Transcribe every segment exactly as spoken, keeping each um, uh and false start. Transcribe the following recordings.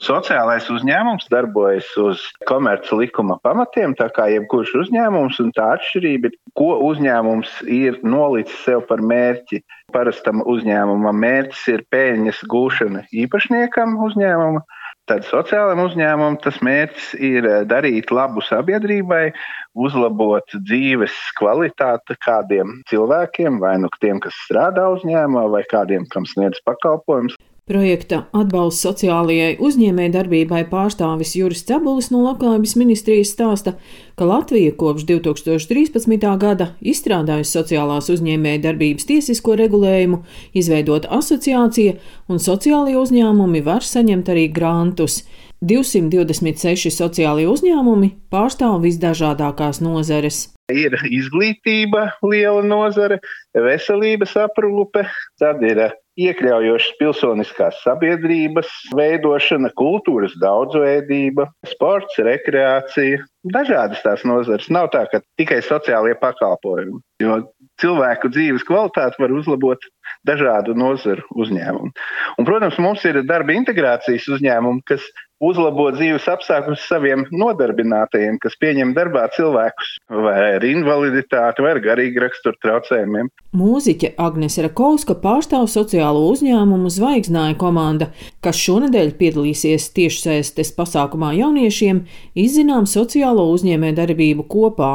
Sociālais uzņēmums darbojas uz komerces likuma pamatiem, tā kā jebkurš uzņēmums, un tā atšķirība ir, ko uzņēmums ir nolicis sev par mērķi. Parastam uzņēmumam mērķis ir peļņas gūšana īpašniekam uzņēmuma, tad sociālam uzņēmumam tas mērķis ir darīt labu sabiedrībai, uzlabot dzīves kvalitāti kādiem cilvēkiem, vai nu tiem, kas strādā uzņēmumā, vai kādiem, kam sniedz pakalpojumus. Projekta atbalsts sociālajai uzņēmējdarbībai pārstāvis Juris Cebulis no Labklājības ministrijas stāsta, ka Latvija kopš divi tūkstoši trīspadsmitā gada izstrādājusi sociālās uzņēmējdarbības tiesisko regulējumu, izveidot asociācija, un sociālie uzņēmumi var saņemt arī grantus. divsimt divdesmit seši sociālie uzņēmumi pārstāv visdažādākās nozares. Ir izglītība liela nozare, veselības aprūpe, tad ir iekļaujošas pilsoniskās sabiedrības veidošana, kultūras daudzveidība, sports, rekreācija. Dažādas tās nozares. Nav tā, ka tikai sociālie pakalpojumi, jo cilvēku dzīves kvalitāti var uzlabot dažādu nozaru uzņēmumu. Un, protams, mums ir darba integrācijas uzņēmumi, kas uzlabo dzīves apstākļus saviem nodarbinātajiem, kas pieņem darbā cilvēkus vai ar invaliditāti vai ar garīgu raksturu traucējumiem. Mūziķe Agnese Rakovska pārstāv sociālo uzņēmumu Zvaigznāja komanda, kas šonedēļ piedalīsies tiešsaistes pasākumā jauniešiem, izzinām sociālo uzņēmējdarbību kopā.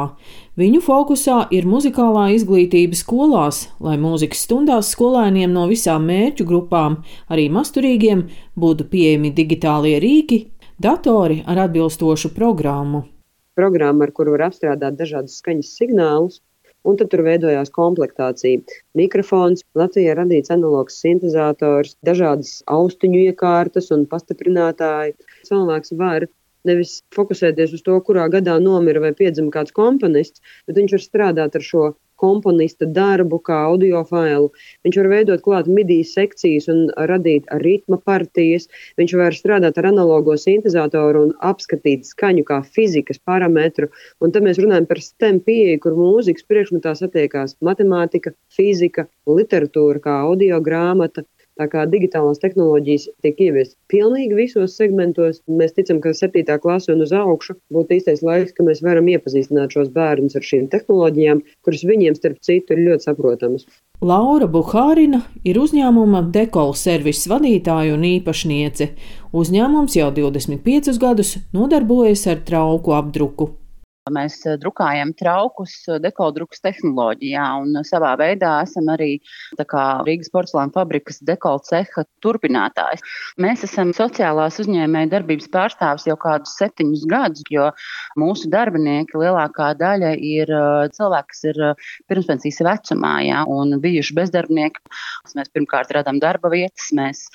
Viņu fokusā ir muzikālā izglītība skolās, lai mūzikas stundās skolēniem no visām mērķu grupām, arī mazturīgiem, būtu pieejami digitālie rīki, datori ar atbilstošu programmu. Programma, ar kuru var apstrādāt dažādus skaņas signālus, un tad tur veidojās komplektācija. Mikrofons, Latvijā radīts analogs sintezators, dažādas austiņu iekārtas un pastiprinātāji. Cilvēks var nevis fokusēties uz to, kurā gadā nomira vai piedzima kāds komponists, bet viņš var strādāt ar šo komponista darbu kā audio failu. Viņš var veidot klāt midi sekcijas un radīt ritma partijas. Viņš var strādāt ar analogo sintezatoru un apskatīt skaņu kā fizikas parametru. Un tad mēs runājam par STEM pieeju, kur mūzikas priekšmetā satiekās matemātika, fizika, literatūra kā audio grāmata. Tā kā digitālās tehnoloģijas tiek ieviestas pilnīgi visos segmentos, mēs ticam, ka septītā klase un uz augšu būtu īstais laiks, ka mēs varam iepazīstināt šos bērnus ar šīm tehnoloģijām, kuras viņiem starp citu ir ļoti saprotamas. Laura Buhārina ir uzņēmuma Dekol servises vadītāja un īpašniece. Uzņēmums jau divdesmit piecus gadus nodarbojas ar trauku apdruku. Mēs drukājam traukus dekoldrukas tehnoloģijā un savā veidā esam arī tā kā Rīgas porcelāna fabrikas dekol ceha turpinātājs. Mēs esam sociālās uzņēmēja darbības pārstāvis jau kādus septiņus gadus, jo mūsu darbinieki lielākā daļa ir cilvēki, kas ir pirmspensijas vecumā, jā, un bijuši bezdarbnieki. Mēs pirmkārt radām darba vietas, mēs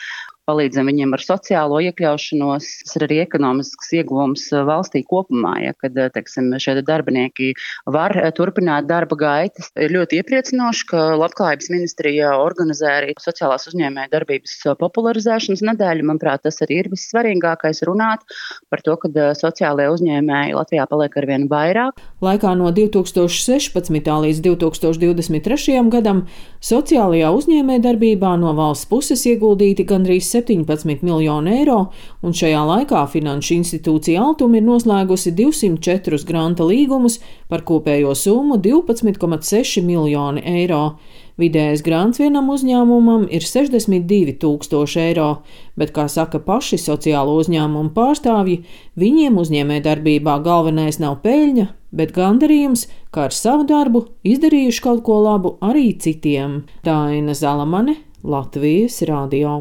palīdzam viņiem ar sociālo iekļaušanos, tas ir arī ekonomisks ieguvums valstī kopumā, ja, kad, teiksim, šie darbinieki var turpināt darba gaitas. Ir ļoti iepriecinoši, ka Labklājības ministrija organizē arī sociālās uzņēmēja darbības popularizēšanas nedēļu. Manuprāt, tas arī ir vissvarīgākais runāt par to, ka sociālajie uzņēmēji Latvijā paliek arvien vairāk. Laikā no divi tūkstoši sešpadsmitā līdz divi tūkstoši divdesmit trešajam gadam sociālajā uzņēmēja darbībā no valsts puses ieguldīti gandrīz septiņpadsmit miljoni eiro, un šajā laikā Finanšu institūcija Altuma ir noslēgusi divsimt četrus granta līgumus par kopējo summu divpadsmit komats seši miljoni eiro. Vidējais grants vienam uzņēmumam ir sešdesmit divi tūkstoši eiro, bet, kā saka paši sociālo uzņēmumu pārstāvji, viņiem uzņēmējdarbībā galvenais nav peļņa, bet gandarījums, kā ar savu darbu izdarījuši kaut ko labu arī citiem. Daina Zalamane, Latvijas radio.